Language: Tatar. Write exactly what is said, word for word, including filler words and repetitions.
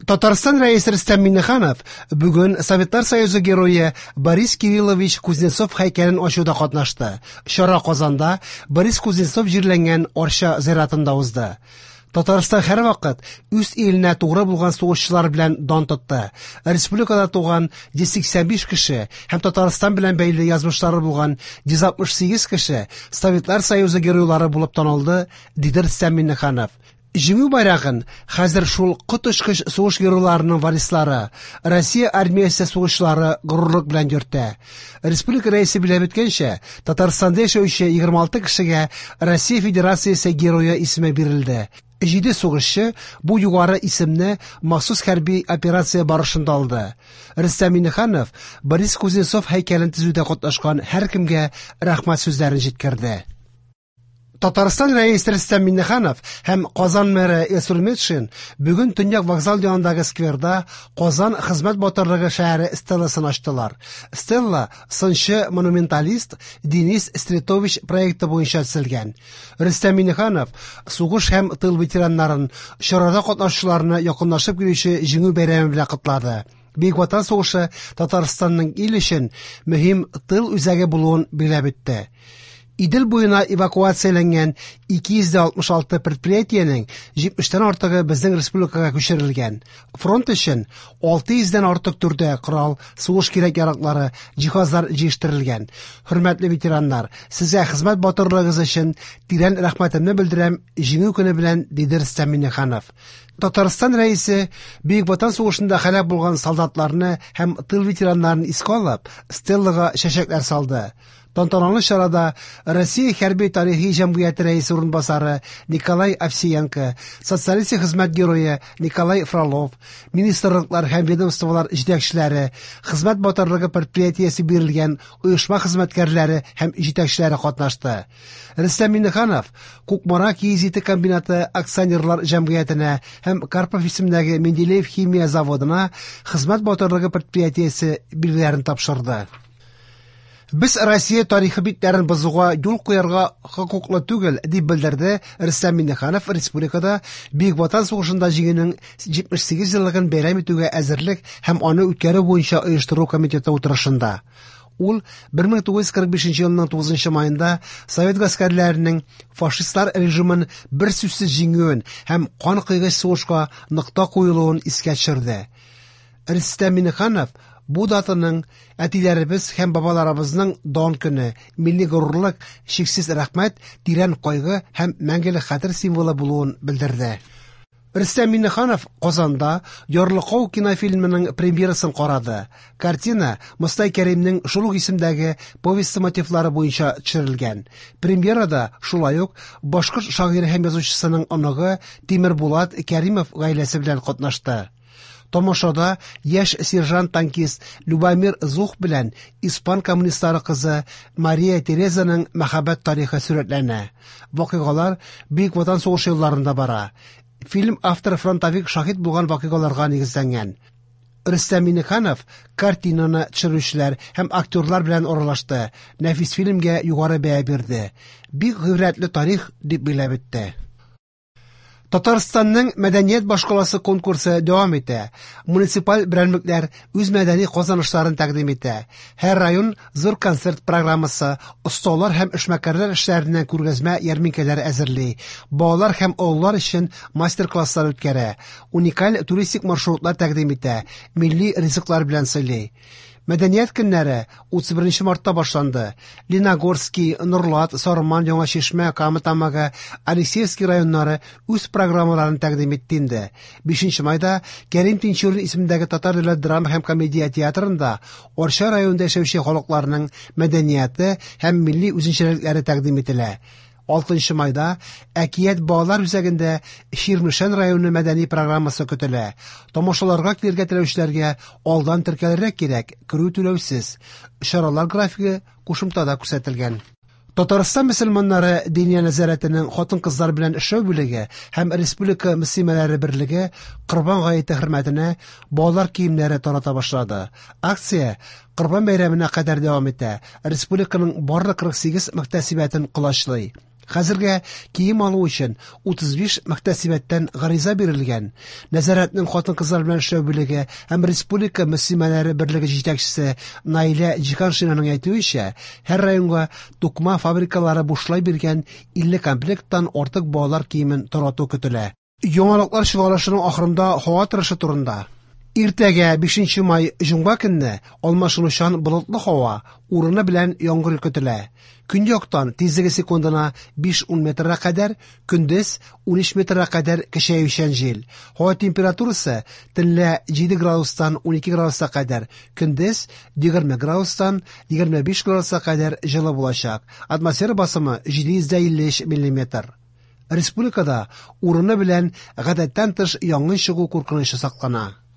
Татарстан Рәисе Рөстәм Миңнеханов бүген Советлар Союзы герое Борис Кириллович Кузнецов һәйкәлен ачуда катнашты. Чара Казанда Борис Кузнецов җирләнгән Арча зиратында узды. Татарстан һәрвакыт үз иленә тугры булган сугышчылар белән дан тотты. Республикада туган йөз сиксән биш кеше һәм Татарстан белән бәйле язмышлары булган йөз алтмыш сигез кеше Советлар Союзы геройлары булып танылды, диде Рөстәм Миңнеханов. Җиңү байрагын хәзер шул коточкыч сугыш геройларының варислары, Россия армиясе сугышчылары горурлык белән йөртә. Республика рәисе билгеләп үткәнчә, Татарстанда яшәүче егерме алты кешегә Россия Федерациясе герое исеме бирелде. Җиде сугышчы бу югары исемне махсус хәрби операция барышында алды. Рөстәм Миңнеханов Борис Кузнецов һәйкәлен төзүдә катнашкан һәркемгә рәхмәт сүзләрен җиткерде. Татарстан Рәисе Рөстәм Миңнеханов һәм Казан мэры Илсур Метшин бүген Төньяк вокзал янындагы скверда Казан хезмәт батырлыгы шәһәре стелласын ачтылар. Стелла сынчы монументалист Денис Стретович проекты буенча төзелгән. Рөстәм Миңнеханов сугыш һәм тыл ветераннарын, чарада катнашучыларны якынлашып килүче Җиңү бәйрәме белән котлады. Бөек Ватан сугышы Татарстанның ил өчен мөһим тыл үзәге булуын билгеләп үтте. Идел буена эвакуацияләнгән ике йөз алтмыш алты предприятиенең җитмештән артыгы безнең республикага күчерелгән. Фронт өчен алты йөздән артык төрдә корал, сугыш кирәк-яраклары, җиһазлар җыештырылган. Хөрмәтле ветераннар, сезгә хезмәт батырлыгыгыз өчен тирән рәхмәтемне белдерәм, Җиңү көне белән, диде Рөстәм Миңнеханов. Татарстан Рәисе Бөек Ватан сугышында һәлак булган солдатларны һәм тыл ветераннарын искә алып, стеллага чәчәкләр салды. Тантаналы чарада Россия хәрби тарихи җәмгыяте рәисе урынбасары Николай Овсиенко, социалистик хезмәт герое Николай Фролов, министрлыклар һәм ведомстволар җитәкчеләре, хезмәт батырлыгы предприятиесе бирелгән оешма хезмәткәрләре һәм җитәкчеләре катнашты. Рөстәм Миңнеханов Кукмара киез ите комбинаты акционерлар җәмгыятенә һәм Карпов исемендәге Менделеев химия заводына хезмәт батырлыгы предприятиесе билгеләрен тапшырды. Без Россия тарихы битләрен бозуга юл куярга хокуклы түгел, дип белдерде Рөстәм Миңнеханов республикада Бөек Ватан сугышында җиңүнең җитмеш сигез еллыгын бәйрәм итүгә әзерлек һәм аны үткәрү буенча оештыру комитеты утырышында. Ул бер мең тугыз йөз кырык бишенче елның тугызынчы майында совет гаскәрләренең фашистлар режимын бер сүзсез җиңүен һәм кан койгыч сугышка нокта куелуын искә төшерде. Рөстәм Миңнеханов бу датаның әтиләребез һәм бабаларыбызның дан көне, милли горурлык, чиксез рәхмәт, тирән кайгы һәм мәңгелек хәтер символы булуын белдерде. Рөстәм Миңнеханов Казанда Ярлыкау кинофильмының премьерасын карады. Картина Мостай Кәримнең шул ук исемдәге повесте мотивлары буенча төшерелгән. Премьерада шулай ук башкорт шагыйре һәм язучысының оныгы Тимербулат Кәримов гаиләсе белән катнашты. Тамашада яшь сержант-танкист Любомир Зух белән испан коммунистлары кызы Мария Терезаның мәхәббәт тарихы сурәтләнә. Вакыйгалар Бөек Ватан сугышы елларында бара. Фильм авторы фронтовик шаһит булган вакыйгаларга нигезләнгән. Рөстәм Миңнеханов картинаны төшерүчеләр һәм актерлар белән аралашты. Нәфис фильмгә югары бәя бирде. Бик гыйбрәтле тарих дип билгеләп үтте. Татарстанның мәдәният башкаласы конкурсы дәвам итә. Муниципаль берәмлекләр үз мәдәни казанышларын тәкъдим итә. Һәр район зур концерт программасы, осталар һәм эшмәкәрләр эшләреннән күргәзмә ярминкәләр әзерли. Балалар һәм олылар өчен мастер-класслар үткәрә. Уникаль туристик маршрутлар тәкъдим итә. Милли ризыклар белән сыйлый. Мәдәният көннәре утыз беренче мартта башланды. Лениногорский, Нурлат, Сарман, Яңа Чишмә, Кама Тамагы, Алексеевский районнары үз программаларын тәкъдим итте инде. Бишенче майда Кәрим Тинчурин исемендәге Татар дәүләт драма һәм комедия театрында Арча районында яшәүче халыкларның мәдәнияте һәм милли үзенчәлекләре тәкъдим ителә. Алтынчы майда Әкият балалар үзәгендә Чирмешән районы мәдәни программасы көтелә. Тамашаларга килергә теләүчеләргә алдан теркәлергә кирәк, керү түләүсез. Чаралар графигы кушымтада күрсәтелгән. Татарстан мөселманнары Диния нәзарәтенең хатын-кызлар белән эшләү бүлеге һәм Республика мөслимәләре берлеге Корбан гаете хөрмәтенә балалар киемнәре тарата башлады. Акция Корбан бәйрәменә кадәр дәвам итә. Республиканың барлык кырык сигез мөхтәсибәтен колачлый. Хәзергә кием алу өчен утыз биш мөхтәсибәттән гариза бирелгән. Нәзарәтнең хатын-кызлар белән эшләү бүлеге һәм Республика мөслимәләре берлеге җитәкчесе Наилә Җиһаншинаның әйтүенчә, һәр районга тукыма фабрикалары бушлай биргән илле комплекттан артык балалар киемен тарату көтелә. Яңалыклар чыгарылышының ахырында һава торышы турында. Иртәгә бишенче май җомга көнне алмашынучан болытлы һава, урыны белән яңгыр көтелә. Көньяктан тизлеге секундына биш-ун метрга кадәр, көндез ун өч метрга кадәр көчәючән җил. Һава температурасы төнлә җиде градустан ун ике градуска кадәр, көндез егерме градустан егерме биш градуска кадәр җылы булачак. Атмосфера басымы җиде йөз илле өч миллиметр. Республикада урыны белән гадәттән тыш янгын чыгу куркынычы саклана.